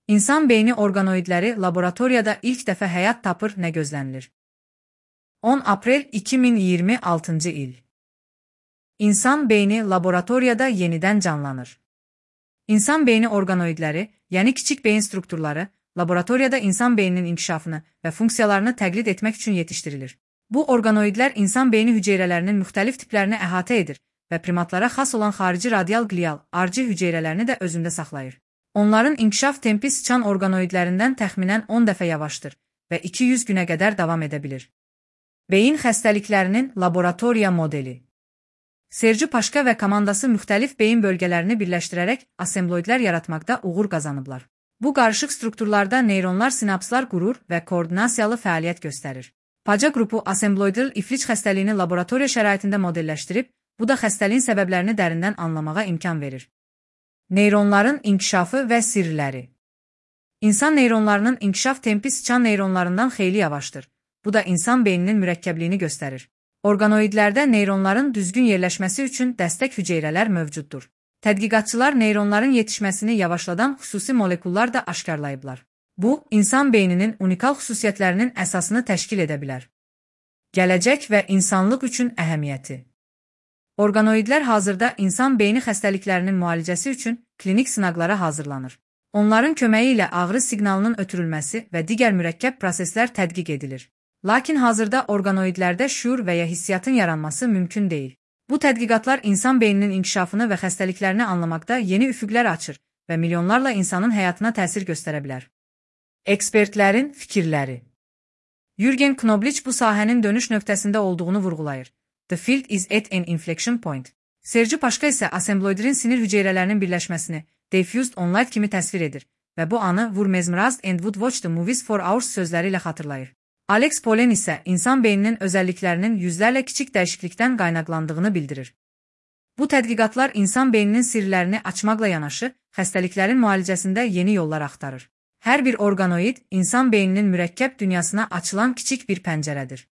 İnsan beyni orqanoidləri laboratoriyada ilk dəfə həyat tapır nə gözlənilir? 10 aprel 2026-cı il. İnsan beyni laboratoriyada yenidən canlanır. İnsan beyni orqanoidləri, yəni kiçik beyin strukturları, laboratoriyada insan beyninin inkişafını və funksiyalarını təqlid etmək üçün yetişdirilir. Bu orqanoidlər insan beyni hüceyrələrinin müxtəlif tiplərini əhatə edir və primatlara xas olan xarici radial glial, RG hüceyrələrini də özündə saxlayır. Onların inkişaf tempi sıçan orqanoidlərindən təxminən 10 dəfə yavaşdır və 200 günə qədər davam edə bilir. Beyin xəstəliklərinin laboratoriya modeli. Sergi Paşka və komandası müxtəlif beyin bölgələrini birləşdirərək assembloidlər yaratmaqda uğur qazanıblar. Bu qarışıq strukturlarda neyronlar sinapslar qurur və koordinasiyalı fəaliyyət göstərir. Paca qrupu assembloidal iflic xəstəliyini laboratoriya şəraitində modelləşdirib, bu da xəstəliyin səbəblərini dərindən anlamağa imkan verir. Neyronların inkişafı və sirləri. İnsan neyronlarının inkişaf tempi sıçan neyronlarından xeyli yavaşdır. Bu da insan beyninin mürəkkəbliyini göstərir. Orqanoidlərdə neyronların düzgün yerləşməsi üçün dəstək hüceyrələr mövcuddur. Tədqiqatçılar neyronların yetişməsini yavaşladan xüsusi molekullar da aşkarlayıblar. Bu, insan beyninin unikal xüsusiyyətlərinin əsasını təşkil edə bilər. Gələcək və insanlıq üçün əhəmiyyəti. Orqanoidlər hazırda insan beyni xəstəliklərinin müalicəsi üçün klinik sınaqlara hazırlanır. Onların köməyi ilə ağrı siqnalının ötürülməsi və digər mürəkkəb proseslər tədqiq edilir. Lakin hazırda orqanoidlərdə şüur və ya hissiyatın yaranması mümkün deyil. Bu tədqiqatlar insan beyninin inkişafını və xəstəliklərini anlamaqda yeni üfüqlər açır və milyonlarla insanın həyatına təsir göstərə bilər. Ekspertlərin fikirləri. Jürgen Knoblich bu sahənin dönüş nöqtəsində olduğunu vurğulayır. The field is at an inflection point. Sergi Paşka isə assembloidlərin sinir hüceyrələrinin birləşməsini diffused on-light kimi təsvir edir və bu anı "Were mesmerized and would watch the movies for hours" sözləri ilə xatırlayır. Alex Pollen isə insan beyninin özəlliklərinin yüzlərlə kiçik dəyişiklikdən qaynaqlandığını bildirir. Bu tədqiqatlar insan beyninin sirlərini açmaqla yanaşı, xəstəliklərin müalicəsində yeni yollar axtarır. Hər bir orqanoid insan beyninin mürəkkəb dünyasına açılan kiçik bir pəncərədir.